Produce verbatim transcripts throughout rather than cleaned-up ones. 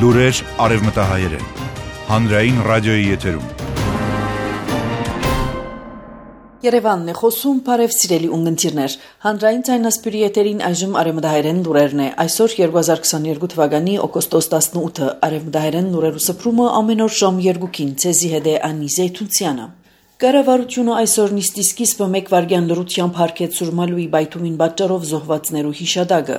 Լուրեր արևմտահայերեն, հանրային ռադիոյի եթերում։ Երևանն է խոսում, բարև սիրելի ունգընտիրներ, հանրային ցայնասպյուրի եթերին այժմ արևմտահայերեն լուրերն է, այսօր երկու հազար քսաներկու թվականի օգոստոս տասնութը, արևմտահայերեն լուրերու սփռումը ամեն օր ժամ երկուքին, ցեզի հետ է Անի Զեյթունցյանը։ Կառավարությունը այսօր նիստի սկիզբը մեկ վայրկյան լրությամբ հարգեց Սուրմալուի բայթումին պատճառով զոհվածներու հիշադակը։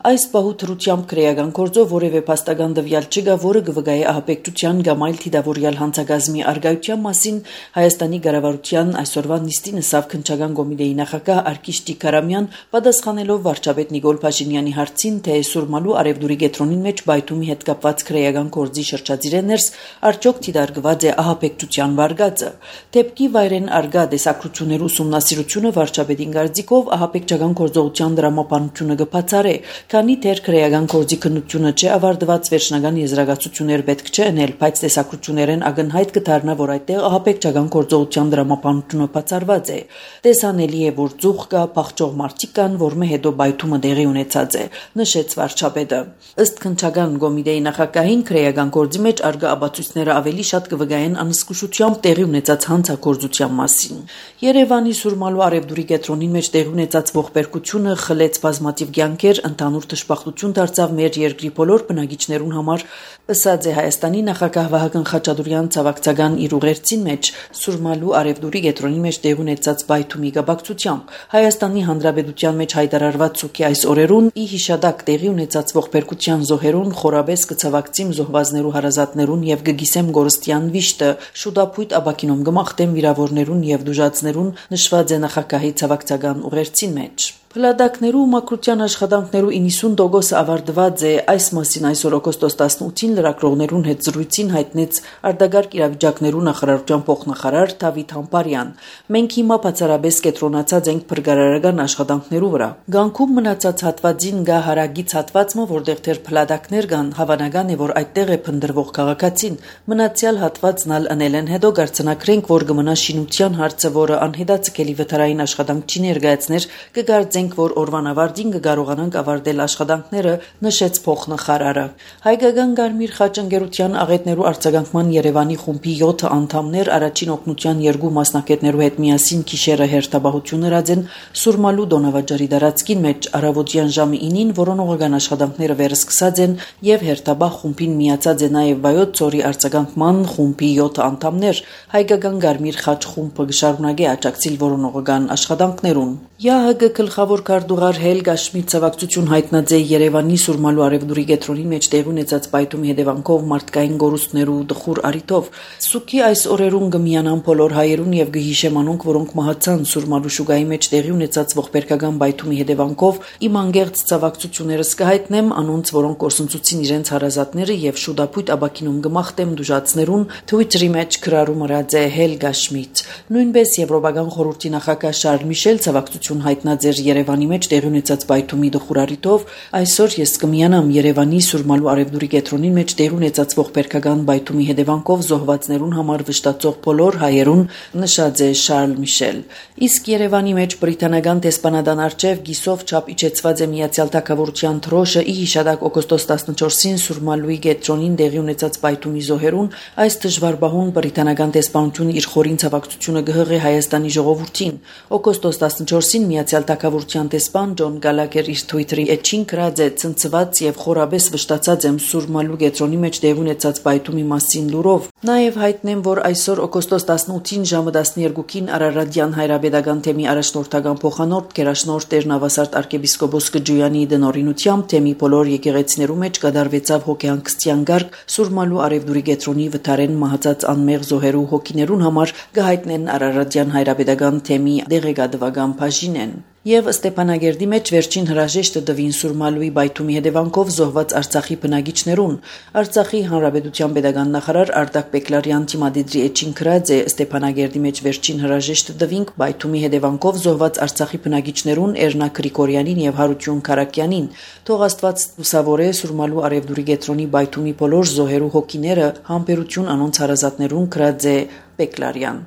Այս պահու թրությամբ քրեական գործով որևէ փաստական դվյալ չկա, որը կվգայի ահաբեկչության կամ այլ թիդավորյալ հանցագազմի արգայության մասին Հայաստանի կառավարության այսօրվա նիստին ըսավ քննչական կոմիտեի նախագահ Արկիշ Տիկարամյան, պատասխանելով վարչապետ Նիկոլ Փաշինյանի հարցին, թե Սուրմալու արևդուրի գետրոնին մեջ բայթումի հետ կապված քրեական գործի շրջածիրներս արդյոք թիդարգված է ահաբեկչության վարգածը։ Դեպքի վայրեն արգա դեսակրություններու ուսումնասիրությունը վարչապետին կարծիքով ահաբեկչական գործողության դրամապանությունը կբացառե, քանի դեռ քրեական գործի քննությունը չէ ավարտված, վերջնական եզրակացություններ պետք չէ ընել, բայց տեսակրություններեն ակնհայտ կդառնա, որ այդտեղ ահաբեկչական գործողության դրամապանությունը բացառված է։ Տեսանելի է, որ ծուխ կա, փախչող մարդիկ կան, որմե հետո բայթումը տեղի ունեցած է, նշեց վարչապետը։ Ըստ քննչական կոմիտեի նախագահին, քրեական գործի մեջ արգա աբացույցները ավելի շատ կվգային անզգուշությամբ տեղի ունեցած հանցագործության մասին։ Երևանի Սուրմալու արևդուրի կետրոնին մեջ տեղի ունեցած ողբերգությունը խլեց բազմաթիվ կյանքեր, ընդհանուր դժբախտություն դարձավ մեր երկրի բոլոր բնակիչներուն համար, ըսած է Հայաստանի նախագահ Վահագն Խաչատուրյան ցավակցական իր ուղերձին մեջ Սուրմալու արևդուրի կետրոնի մեջ տեղի ունեցած բայթումի կապակցությամբ։ Հայաստանի Հանրապետության մեջ հայտարարված ցուկի այս օրերուն ի հիշադակ տեղի ունեցած ողբերգության զոհերուն խորաբես կցավակցիմ զոհվածներու հարազատներուն եւ կգիսեմ գորստյան վիշտը շուտապույտ աբակինում գմախտեմ վիրավորներուն եւ դուժացներուն, նշված է նախագահի ցավակցական ուղերձին մեջ։ Փլադակներու մակրության աշխատանքներու իննսուն տոկոսը ավարտված է, այս մասին այսօր օգոստոս տասնութին լրագրողներուն հետ զրույցին հայտնեց արտագարգ իրավիճակներու նախարարության փոխնախարար Դավիթ Համբարյան։ Մենք հիմա բացառապես կենտրոնացած ենք փրկարարական աշխատանքներու վրա։ Գանքում մնացած հատվածին գա հարագից հատվածը, որտեղ դեռ փլադակներ կան, հավանական է, որ այդտեղ է փնտրվող քաղաքացին։ Մնացյալ հատվածն ալ անել են հետո գարցնակրենք, որ կմնա շինության հարցը, որը անհետացկելի վթարային աշխատանք չի ներկայացներ, կգարձենք, որ օրվան ավարտին կկարողանանք ավարտել աշխատանքները, նշեց փոխնախարարը։ Հայկական Կարմիր խաչ ընկերության աղետներու արձագանքման Երևանի խումբի յոթ անդամներ առաջին օգնության երկու մասնակիցներու հետ միասին գիշերը հերթապահություն հրաձեն Սուրմալու Դոնավաճարի դարածքին մեջ առավոտյան ժամը ինին, որոնողական աշխատանքները վերսկսած են եւ հերթապահ խումբին միացած է նաեւ Վայոց ծորի արձագանքման խումբի յոթ անդամներ։ Հայկական Կարմիր խաչ խումբը կշարունակի աջակցել որոնողական աշխատանքներուն։ ՀՀԳ գլխավոր քարտուղար Հելգա Շմիդ ցավակցություն հայտնած է Երևանի Սուրմալու արևդուրի կետրոնի մեջ տեղի ունեցած բայթումի հետևանքով մարդկային գորուստներու դխուր արիտով։ Սուքի այս օրերուն կմիանան բոլոր հայերուն եւ կհիշեմ անոնք, որոնք մահացան Սուրմալու շուգայի մեջ տեղի ունեցած ողբերգական բայթումի հետևանքով։ Իմ անգերց ցավակցություններս կհայտնեմ անոնց, որոնք կորսնցուցին իրենց հարազատները եւ շուտապույտ աբակինում կմախտեմ դուժացներուն, Twitter-ի մեջ գրառում արած է Հելգա Շմիդ։ Նույնպես Եվրոպական խորհրդի նախագահ Շարլ Միշել ցավակցություն հայտնած էր Երևանի մեջ տեղի ունեցած բայթումի դխուրարիտով։ Այսօր ես կմիանամ Երևանի Սուրմալու արևդուրի կետրոնին մեջ տեղի ունեցած ողբերգական բայթումի հետևանքով զոհվածներուն համար վշտացող բոլոր հայերուն, նշած է Շարլ Միշել։ Իսկ Երևանի մեջ բրիտանական դեսպանատան արչև գիսով չափ իջեցված է Միացյալ Թագավորության թրոշը ի հիշադակ օգոստոս տասնչորսին Սուրմալուի կետրոնին տեղի ունեցած բայթումի զոհերուն։ Այս դժվար բահուն բրիտանական դեսպանությունը իր խորին ցավակցությունը կհղի Հայաստանի ժողովրդին։ Օգոստոս տասնչորսին Միացյալ Թագավորության դեսպան Ջոն Գալագեր իր Twitter-ի էջին գրած է. «Ցնցված եւ խորաբես վշտացած եմ Սուրմալու կետրոնի մեջ տեղի ունեցած բայթումի մասին լուրով։ Նաեւ հայտնեմ, որ այսօր օգոստոս տասնութին ժամը տասներկուին Արարատյան հայրապետական թեմի առաջնորդական փոխանորդ Գերաշնորհ Տեր Նավասարդ arczepiskopos Գջոյանի դնորինությամբ թեմի բոլոր եկեղեցիներու մեջ կդարվեցավ հոգեհանգստյան գարկ Սուրմալու արևդուրի կետրոնի վթարեն մահացած անմեղ զոհերու հոգիներուն համար կհայտնեն Արարատյան հայրապետական թեմի դեղեկատվական բաժինեն։ Եվ Ստեփանագերդի մեջ վերջին հրաժեշտը տվին Սուրմալուի բայթումի հետևանքով զոհված Արցախի բնակիչներուն։ Արցախի Հանրապետության պետական նախարար Արտակ Պեկլարյան թիմադիդրի էջին գրած է. Ստեփանագերդի մեջ վերջին հրաժեշտը տվինք բայթումի հետևանքով զոհված Արցախի բնակիչներուն Էրնա Գրիգորյանին եւ Հարություն Քարակյանին։ Թող Աստված լուսավորե Սուրմալու արևդուրի կետրոնի բայթումի բոլոր զոհերու հոգիները, համբերություն անոնց հարազատներուն, գրած է Բեկլարյան։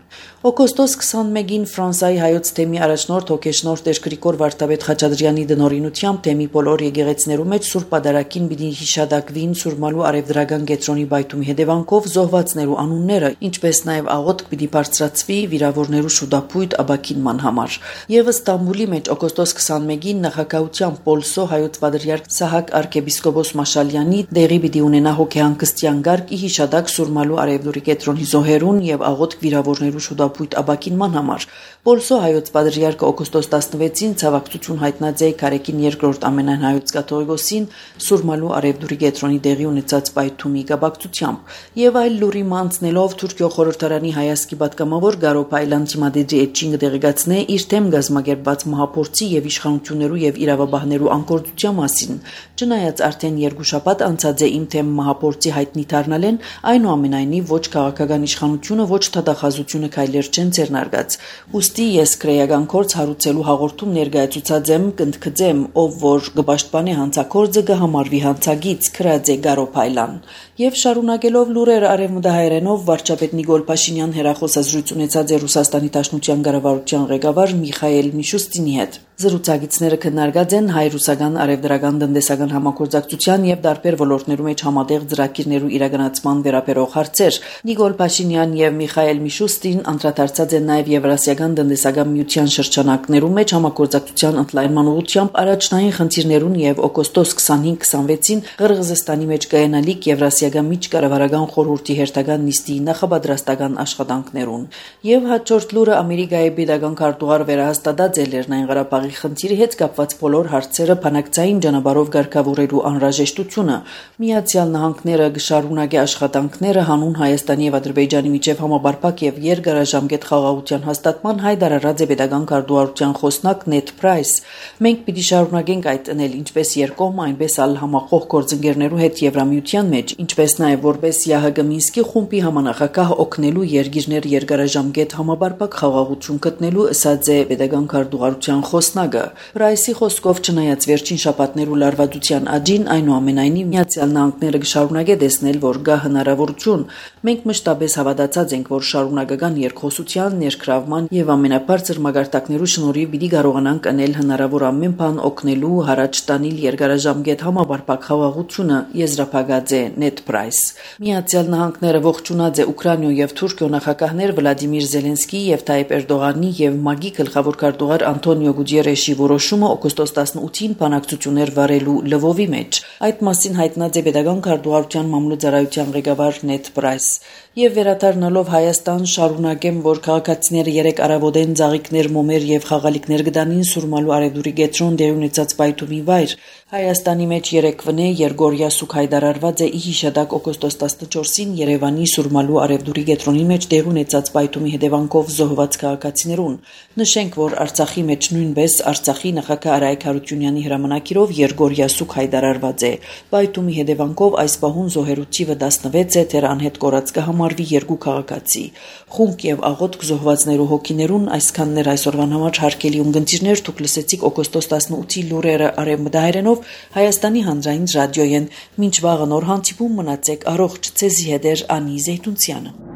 Օգոստոս քսանմեկին Ֆրանսայի հայոց թեմի առաջնորդ հոգեշնորհ Տեր Գրիգոր Վարդապետ Խաչատրյանի դնորինությամբ թեմի բոլոր եկեղեցիներու մեջ Սուրբ Պատարագին պիտի հիշադակվին Սուրմալու արևդրական կետրոնի բայթումի հետևանքով զոհվածներու անունները, ինչպես նաև աղոթք պիտի բարձրացվի վիրավորներու շուտապույտ աբաքինման համար։ Եվս Ստամբուլի մեջ օգոստոս քսանմեկին նախագահությամբ Պոլսո հայոց պատրիարք Սահակ arczepiskopos Մաշալյանի դեղի պիտի ունենա հոգեհանգստյան գարկ ի հիշադակ Սուրմալու արևդուրի կետրոնի զոհերուն եւ աղոթք վիրավորներու շուտապույտ աբաքինման համար։ Պոլսո հայոց պատրիարքը օգոստոս տասնվեցին ցավակցություն հայտնած է Քարեկին երկրորդ ամենայն հայոց կաթողիկոսին Սուրմալու արևդուրի կետրոնի դեղի ունեցած պայթումի կապակցությամբ եւ այլ լուրի մանցնելով Թուրքիո խորհրդարանի հայասկի պատգամավոր Գարո Փայլան Թիմադեջի էջին դեղեկացնե իր թեմ գազմագերբած մահապորցի եւ իշխանություններու եւ իրավաբաններու անկորդության մասին։ Չնայած արդեն երկու շաբաթ անցած է իմ թեմ մահապորցի հայտնի դառնալեն, այնուամենայնիվ ոչ քաղաքական իշխանությունը, ոչ թադախազությունը քայլեր չեն ձեռնարկած։ Ոստի ես քրեական կորց հարուցելու հաղորդում ներկայացուցած եմ, կընդգծեմ, ով որ գբաշտպանի հանցակորձը կհամարվի հանցագից, քրած է Գարո Փայլան։ Եվ շարունակելով լուրեր արևմտահայերենով վարչապետ Նիկոլ Փաշինյան հերախոսազրույց ունեցած է Ռուսաստանի Դաշնության կառավարության ղեկավար Միխայել Միշուստինի հետ։ Զրուցակիցները քննարկած են հայ-ռուսական արևդրական տնտեսական համագործակցության եւ տարբեր ոլորտներու մեջ համատեղ ծրագիրներու իրականացման վերաբերող հարցեր։ Նիկոլ Փաշինյան եւ Միխայել Միշուստին անդրադարձած են նաեւ Եվրասիական տնտեսական միության շրջանակներու մեջ համագործակցության ընդլայնման ուղղությամբ առաջնային խնդիրներուն եւ օգոստոս քսանհինգ քսանվեցին Ղրղզստանի մեջ կայանալիք Եվրասիական միջկառավարական խորհրդի հերթական նիստի նախաբադրաստական աշխատանքներուն։ Եվ հաջորդ լուրը Ամերիկայի pedagogan քարտուղար վերահաստատած է Լեռնային Ղարաբաղի խնդիրի հետ կապված բոլոր հարցերը բանակցային ճանապարհով ղեկավարելու անհրաժեշտությունը։ Միացյալ Նահանգները կշարունակի աշխատանքները հանուն Հայաստանի եւ Ադրբեջանի միջև համապարփակ եւ երկարաժամկետ խաղաղության հաստատման հայտարարած է pedagogan քարտուղարության խոսնակ Նեթ Պրայս։ Մենք պիտի շարունակենք այդ անել ինչպես երկկողմ, այնպես ալ համախոհ գործընկերներու հետ Եվրամիության մեջ, ինչպես նաեւ որպես ԵԱՀԿ Մինսկի խումբի համանախագահ օգնելու երկիրներ երկարաժամկետ համապարփակ խաղաղություն գտնելու, ըսած է pedagogan քարտուղարության խոսնակը։ Պրայսի խոսքով չնայած վերջին շաբաթներու լարվածության աճին, այնուամենայնիվ Միացյալ Նահանգները կշարունակի տեսնել, որ գա հնարավորություն։ Մենք մշտապես հավատացած ենք, որ շարունակական երկխոսության, ներգրավման եւ ամենաբարձր մագարտակներու շնորհիվ պիտի կարողանանք անել հնարավոր ամեն բան օգնելու հարաճ տանիլ երկարաժամկետ համապարփակ խաղաղությունը, եզրափակած է Նեթ Պրայս։ Միացյալ Նահանգները ողջունած է Ուկրաինա եւ Թուրքիո նախագահներ Վլադիմիր Զելենսկիի եւ Թայիպ Էրդողանի եւ ՄԱԳ-ի գլխավոր քարտուղար Անտոնիո Գուտիերեշի որոշումը օգոստոս տասնութին բանակցություններ վարելու Լվովի մեջ։ Այդ մասին հայտնած է pedagogan քարտուղարության մամլոյցարայության ղեկավար Նեթ Պրայս։ Եվ վերադառնալով Հայաստան շարունակեմ, որ քաղաքացիները երեք առավոտեն ծաղիկներ, մոմեր եւ խաղալիքներ գտանին Սուրմալու արևդուրի կետրոն դեղի ունեցած պայթումի վայր։ Հայաստանի մեջ երեկվնե Երգորիա սուք հայտարարված է ի հիշադակ օգոստոս տասնչորսին Երևանի Սուրմալու արևդուրի կետրոնի մեջ դեղի ունեցած պայթումի հետևանքով զոհված քաղաքացիներուն։ Նշենք, որ Արցախի մեջ նույնպես Արցախի նախագահ Արայք Հարությունյանի հրամանակիրով Երգորիա սուք հայտարարված է։ Պայթումի հետևանքով այս պահուն զոհերու թիվը տասնվեց է, թեր անհետ կորած կհամարվի երկու քաղաքացի։ Խումբ եւ աղոթք զոհվածներու հոգիներուն այսքաններ այսօրվան համար հարգելի ունգընտիրներ, դուք լսեցիք օգոստոս տասնութի լուրերը արևմտահայերենով Հայաստանի հանրային ռադիոյեն։ Մինչ վաղը նոր հանդիպում մնացեք առողջ, ցեզի հետ էր Անի Զեյթունցյանը։